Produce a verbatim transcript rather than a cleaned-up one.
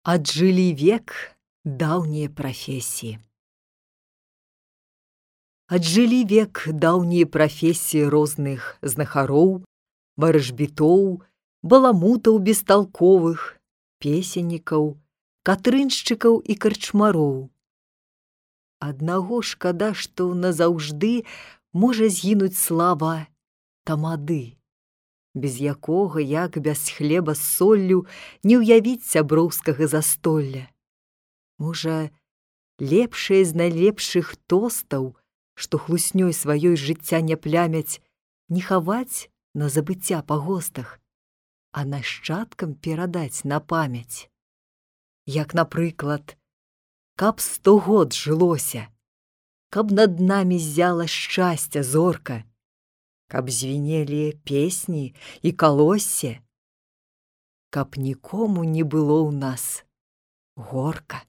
Отжили век даўнія прафесіі. Отжили век даўнія прафесіі розных знахароў, варажбітоў, баламутаў бесталковых, песеннікаў, катрыншчыкаў і карчмароў. Аднаго шкада, што назаўжды можа згінуць слава тамады, без якога, як без хлеба з соллю, не ўявіць сяброўскага застолля. Можа, лепшае з найлепшых тостаў, што хлуснёй сваёй жыцця не плямяць, не хаваць на забыцця па гостах, а нашчадкам перадаць на памяць. Як, напрыклад, каб сто год жылося, каб над намі ззяла шчасця зорка, каб звінелі песні і калоссе, каб нікому не было ў нас горка.